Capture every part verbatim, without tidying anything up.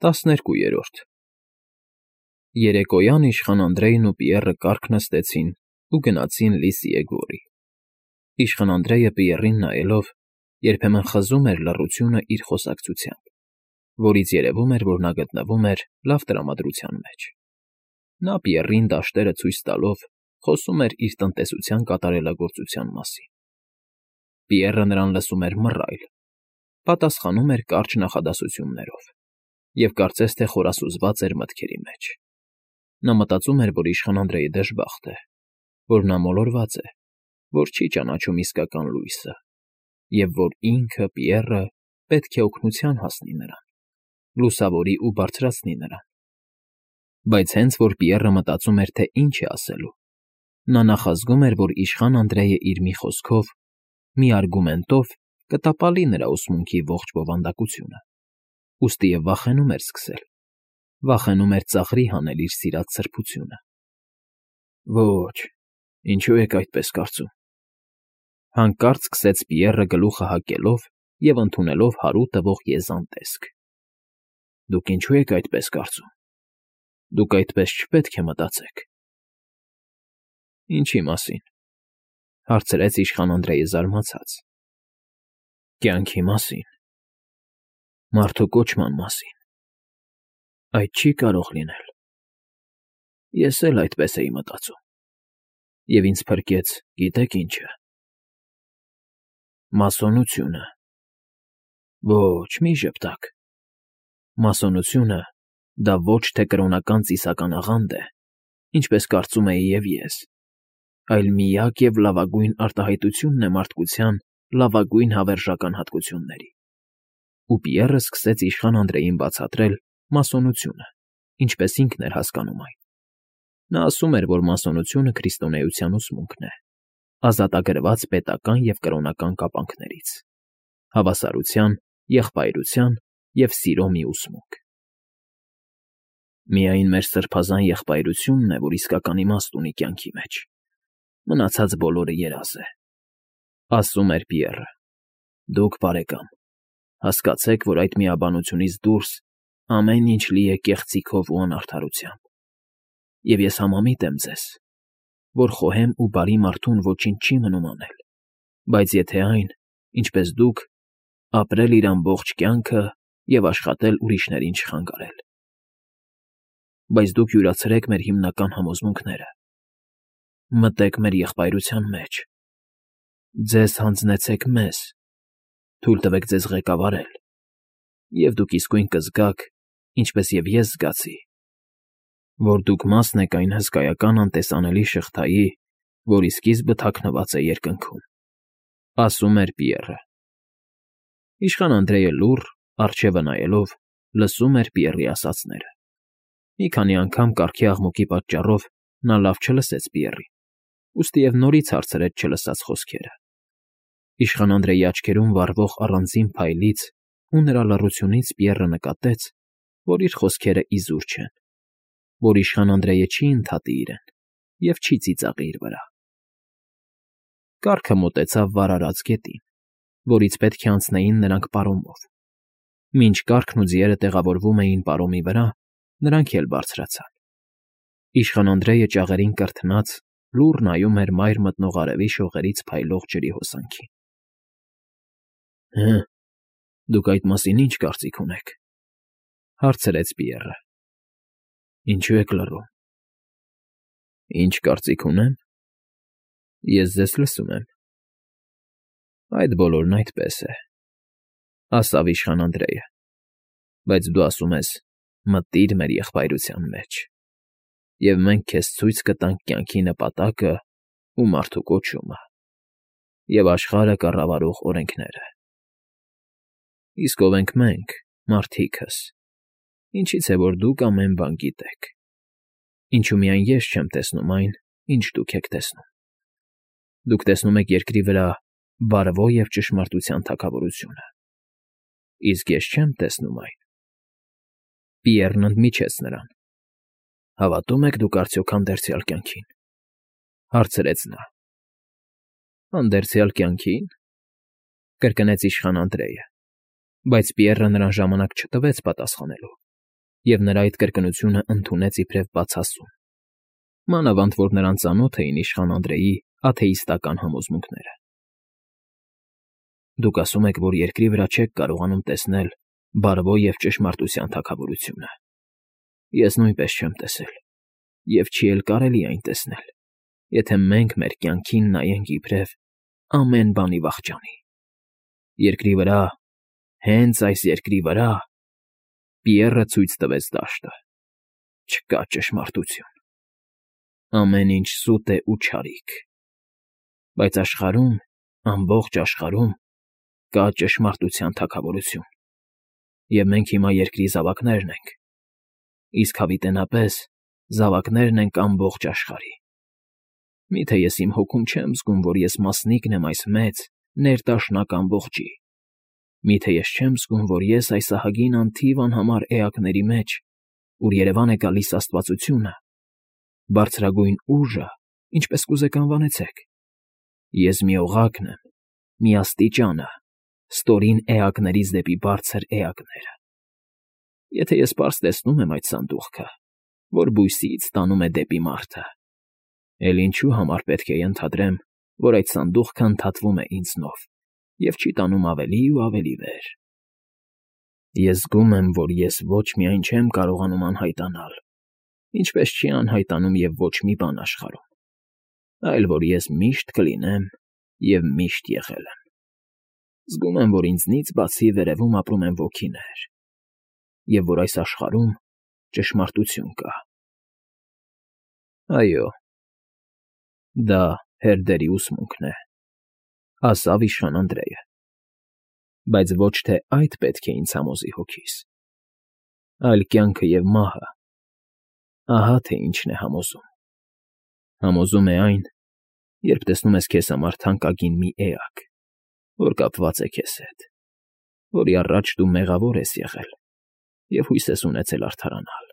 ՏԱՍՆԵՐԿՈՒԵՐՈՐԴ Երեկոյան իշխան Անդրեյն ու Պիեռը կառք նստեցին ու գնացին Լիսիե գորի. իշխան Անդրեյը Պիեռին նայելով երբեմն խզում էր լռությունը իր խոսակցությամբ, որից երևում էր, որ նա գտնվում էր լավ տրամադրության մեջ. նա Պիեռին դաշտերը ցույց տալով խոսում էր իր տնտեսության կատարելագործության մասին. Պիեռը նրան լսում էր մռայլ, պատասխանում էր կարճ նախադասություններով և կարծես թե խորասուզված էր մտքերի մեջ. նա մտածում էր, որ իշխան Անդրեյը դժբախտ է, որ նա մոլորված է, որ չի ճանաչում իսկական լույսը, և որ ինքը՝ Պիեռը, պետք է օգնության հասնի նրան, լուսավորի ու բարձրացնի նրան. Բայց հենց որ Պիեռը մտածում էր, թե ինչ է ասելու, նա նախազգում էր, որ իշխան Անդրեյը իր մի խոսքով, մի արգումենտով կտապալի նրա ուսմունքի ողջ բովանդակությունը, ուստիև վախենում էր սկսել, վախենում էր ծաղրի հանել իր սիրած սրբությունը։ Ոչ, ինչո՞ւ եք այդպես կարծում,- հանկարծ սկսեց Պիեռը գլուխը հակելով և ընդունելով հարու տվող եզան տեսք,- Դուք ինչո՞ւ եք այդպես կարծում, դուք այդպես չպետք է մտածեք։ Ինչի՞ մասին,- հարցրեց իշխան Անդրեյը զարմացած։ Կյանքի մասին, մարդու կոչման մասին։ Այդ չի կարող լինել։ Ես էլ այդպես էի մտածում, և ինձ փրկեց գիտե՞ք ինչը։ Մասոնությունը։ Ոչ, մի ժպտաք, մասոնությունը դա ոչ թե կրոնական ծիսական աղանդ է, ինչպես կարծում էի և ես, այլ միակ և լավագույն արտահայտությունն է մարդկության լավագույն հավերժական հատկությունների։ Ու Պիեռը սկսեց իշխան Անդրեյին բացատրել մասոնությունը, ինչպես ինքն էր հասկանում այն։ Նա ասում էր, որ մասոնությունը քրիստոնեության ուսմունքն է, ազատագրված պետական և կրոնական կապանքներից, հավասարության, եղբայրության և սիրո մի ուսմունք։ Միայն մեր սրբազան եղբայրությունն է, որ իսկական իմաստ ունի կյանքի մեջ, մնացած բոլորը երազ է,- ասում էր Պիեռը։ Դուք, բարեկամ, հասկացեք, որ այդ միաբանությունից դուրս ամեն ինչ լի է կեղծիքով ու անարդարությամբ, և ես համամիտ եմ ձեզ, որ խոհեմ ու բարի մարդուն ոչինչ չի մնում անել, բայց եթե այն, ինչպես դուք, ապրել իր ամբողջ կյանքը և աշխատել ուրիշներին չխանգարել։ Բայց դուք յուրացրեք մեր հիմնական համոզմունքները, մտեք մեր եղբայրության մեջ, ձեզ հանձնեցեք մեզ, թույլ տվեք ձեզ ղեկավարել, և դուք իսկույն կզգաք, ինչպես և ես զգացի, որ դուք մասն եք այն հսկայական անտեսանելի շղթայի, որի սկիզբը թաքնված է երկնքում,- ասում էր Պիեռը։ Իշխան Անդրեյը լուռ, առջևը նայելով, լսում էր Պիեռի ասածները։ Մի քանի անգամ կառքի աղմուկի պատճառով նա լավ չլսեց Պիեռին, ուստիև նորից հարցրեց չլսած խոսքերը։ Իշխան Անդրեյի աչքերում վառվող առանձին փայլից ու նրա լռությունից Պիեռը նկատեց, որ իր խոսքերը իզուր չեն, որ իշխան Անդրեյը չի ընդհատի իրեն և չի ծիծաղի իր վրա։ Կառքը մոտեցավ վարարած գետին, որից պետք է անցնեին նրանք պարոմով։ Մինչ կառքն ու ձիերը տեղավորվում էին պարոմի վրա, նրանք էլ բարձրացան։ Իշխան Անդրեյը ճաղերին կրթնած լուռ նայում էր մայր մտնող արևի շողերից փայլող ջրի հոսանքին։ Հը, դուք այդ մասին ի՞նչ կարծիք ունեք,- հարցրեց Պիեռը։ Ինչո՞ւ եք լռում։ Ինչ կարծիք ունեմ։ Ես ձեզ լսում եմ։ Այդ բոլորն այդպես է,- ասավ իշխան Անդրեյը, բայց դու ասում ես մտիր մեր եղբայրության մեջ, և մենք քեզ ցույց կտանք կյանքի նպատակն ու մարդու կոչումը, և աշխարհը կառավարող օրենքները։ Իսկ ո՞վ ենք մենք, մարդիկս, ինչի՞ց է, որ դուք ամեն բան գիտեք, ինչու միայն ես չեմ տեսնում այն, ինչ դուք եք տեսնում։ Դուք տեսնում եք երկրի վրա բարվո և ճշմարտության թագավորությունը, իսկ ես չեմ տեսնում այն։ Պիեռն ընդմիջեց նրան։ Հավատո՞ւմ եք դուք արդյոք հանդերձյալ կյանքին,- հարցրեց նա։ Հանդերձյալ կյանքի՞ն,- կրկնեց իշխան Անդրեյը, բայց Պիեռը նրան ժամանակ չտվեց պատասխանելու, և նրա այդ կրկնությունը ընդունեց իբրև բացասում, մանավանդ որ նրան ծանոթ էին իշխան Անդրեի աթեիստական համոզմունքները։ Դուք ասում եք, որ երկրի վրա չեք կարողանում տեսնել բարվո և ճշմարտության թագավորությունը։ Ես նույնպես չեմ տեսել, և չի էլ կարելի այն տեսնել, եթե մենք մեր կյանքին նայենք իբրև ամեն բանի վախճանի։ Երկրի վրա, հենց այս երկրի վրա, Պիեռը ցույց տվեց դաշտը, չկա ճշմարտություն, ամեն ինչ սուտ է ու չարիք, բայց աշխարհում, ամբողջ աշխարհում կա ճշմարտության թագավորություն, և մենք հիմա երկրի զավակներն ենք, իսկ հավիտենապես զավակներն ենք ամբողջ աշխարհի։ Միթե ես իմ հոգում չեմ զգում, որ ես մասնիկն եմ այս մեծ, ներդաշնակ ամբողջի։ Միթե ես չեմ զգում, որ ես այս ահագին անթիվ անհամար էակների մեջ, ուր երևան է գալիս աստվածությունը, բարձրագույն ուժը, ինչպես կուզեք անվանեցեք։ Ես մի օղակն եմ, մի աստիճանը, ստորին էակներից դեպի բարձր էակները։ Եթե ես պարզ տեսնում եմ այդ սանդուղքը, որ բույսից տանում է դեպի մարդը, էլ ինչու համար պետք է ենթադրեմ, որ այդ սանդուղքը ընդհատվում է ինձնով և չի տանում ավելի ու ավելի վեր։ Ես զգում եմ, որ ես ոչ միայն չեմ կարողանում անհայտանալ, ինչպես չի անհայտանում և ոչ մի բան աշխարհում, այլ որ ես միշտ կլինեմ և միշտ եղել եմ։ Զգում եմ, որ ինձնից բացի վերևում ապրում են ոգիներ, և որ այս աշխարհում ճշմարտություն կա։ Այո, դա հերդերի ուսմունքն է, ասավ իշխան Անդրեյը, բայց ոչ թե այդ պետք է ինձ համոզի հոգիս, այլ կյանքը և մահը, ահա թե ինչն է համոզում։ Համոզում է այն, երբ տեսնում ես քեզ համար թանկագին մի էակ, որ կապված է քեզ հետ, որի առաջ դու մեղավոր ես եղել և հույս ես ունեցել արդարանալ։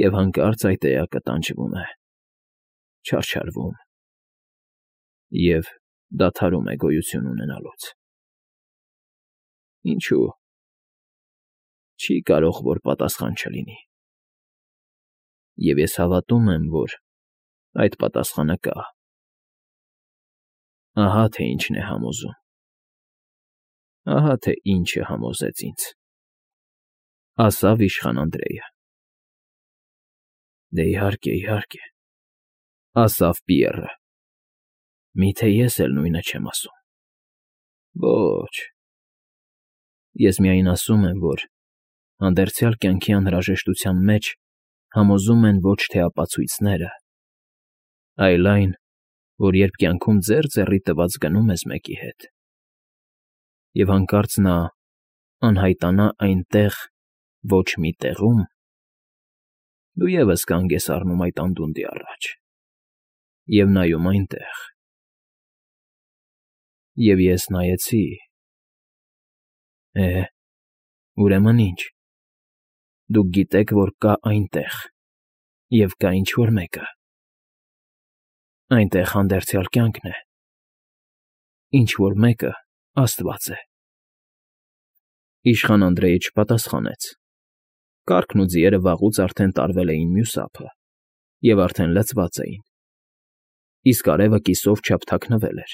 Եվ հանկարծ այդ էակը տանջվում է, չարչարվում և դադարում է գոյություն ունենալուց։ Ինչո՞ւ։ Չի կարող որ պատասխան չլինի։ Եվ ես հավատում եմ, որ այդ պատասխանը կա։ Ահա թե ինչն է համոզում։ Ահա թե ինչը համոզեց ինձ, ասավ իշխան Անդրեյը։ Դե իհարկե, իհարկե, ասավ Պիեռը։ Միթե ես էլ նույնը չեմ ասում։ Ոչ։ Ես միայն ասում եմ, որ հանդերձյալ կյանքի անհրաժեշտության մեջ համոզում են ոչ թե ապացույցները, այլ այն, որ երբ կյանքում ձեր ձեռի տված գնում ես մեկի հետ, և հանկարծ նա անհայտանա այնտեղ ոչ մի տեղում, դու ևս կանգ ես առնում այդ անդունդի առաջ և նայում այնտեղ։ Եվ ես նայեցի… Է, ուրեմն ինչ, դուք գիտեք, որ կա այնտեղ և կա ինչ֊որ մեկը… Այնտեղ հանդերձյալ կյանքն է, ինչ֊որ մեկը աստված է։ Իշխան Անդրեյը չպատասխանեց։ Կառքն ու ձիերը վաղուց արդեն տարվել էին մյուս ափը և արդեն լցված էին, իսկ արևը կիսով չափ թաքնվել էր,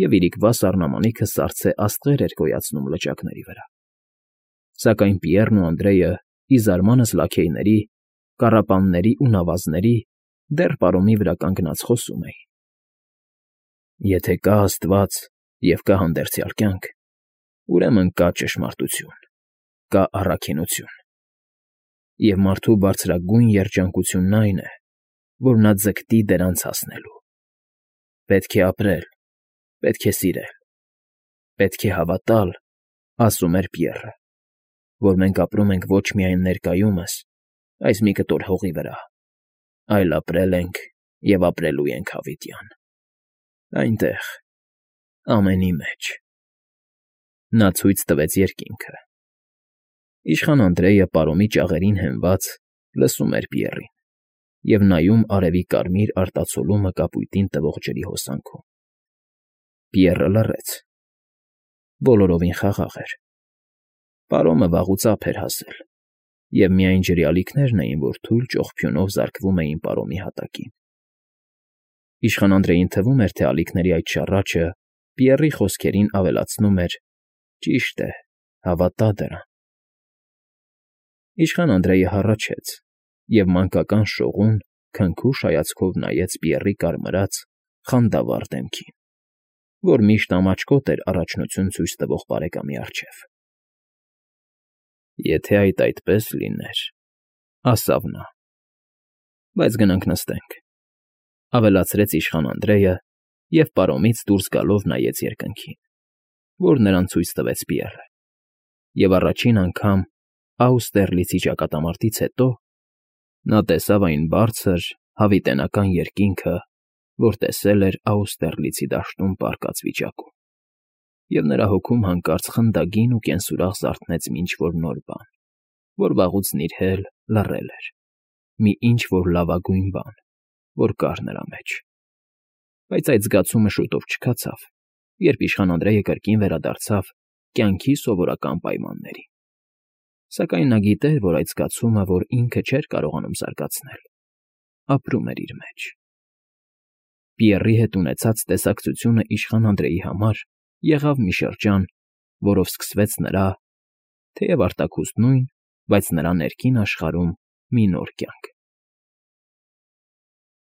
և իրիկվա սառնամանիքը սառցե աստղեր էր գոյացնում լճակների վրա։ Սակայն Պիեռն ու Անդրեյը, ի զարմանս լաքեյների, կառապանների ու նավազների, դեռ պարոմի վրա կանգնած խոսում էին. Եթե կա աստված և կա հանդերձյալ կյանք, ուրեմն կա ճշմարտություն, կա առաքինություն, և մարդու բարձրագույն երջանկությունն այն է, որ նա ձգտի դրանց հասնելու։ Պետք է ապրել, պետք է սիրել, պետք է հավատալ, ասում էր Պիեռը, որ մենք ապրում ենք ոչ միայն ներկայումս, այս մի կտոր հողի վրա, այլ ապրել ենք և ապրելու ենք հավիտյան, այնտեղ, ամենի մեջ։ Նա ցույց տվեց երկինքը։ Իշխան Անդրեյը պարոմի ճաղերին հենված լսում էր Պիեռին և նայում արևի կարմիր արտացոլումը կապույտին տվող ջրի հոսանքում։ Պիեռը լռեց։ Բոլորովին խաղաղ էր։ Պարոմը վաղուց ափ էր հասել։ Եվ միայն ջրյալիկներն էին, որ թույլ ճողփյունով զարկվում էին պարոմի հատակին։ Իշխան Անդրեին թվում էր, թե ալիքների այդ շառաչը Պիեռի խոսքերին ավելացնում էր. «Ճիշտ է, հավատա դրան»։ Իշխան Անդրեյը հառաչեց և մանկական շողուն, քնքուշ հայացքով նայեց Պիեռի կարմրած, խանդավառ դեմքին, որ միշտ ամաչկոտ էր առաջնություն ցույց տվող բարեկամի առջև։ «Եթե այդ այդպես լիներ,֊ ասավ նա,֊ բայց գնանք նստենք,֊ ավելացրեց իշխան Անդրեյը և պարոմից դուրս գալով նայեց երկնքին, որ նրան ցույց տվեց Պիեռը, և առաջին անգամ Աուստերլիցի ճակատամարտից հետո նա տեսավ այն բարձր, հավիտենական երկինքը, որ տեսել էր Աուստերլիցի դաշտում պառկած վիճակում, և նրա հոգում հանկարծ խնդագին ու կենսուրախ զարթնեց մի ինչ֊որ նոր բան, որ վաղուց նիրհել, լռել էր, մի ինչ֊որ լավագույն բան, որ կար նրա մեջ։ Բայց այդ զգացումը շուտով չքացավ, երբ իշխան Անդրեյը կրկին վերադարձավ կյանքի սովորական պայմաններին։ Սակայն նա գիտեր, որ այդ զգացումը, որ ինքը չէր կարողանում զարգացնել, ապրում էր իր մեջ։ Պիեռի հետ ունեցած տեսակցությունը իշխան Անդրեյի համար եղավ մի շրջան, որով սկսվեց նրա, թեև արտաքուստ նույն, բայց նրա ներքին աշխարհում մի նոր կյանք։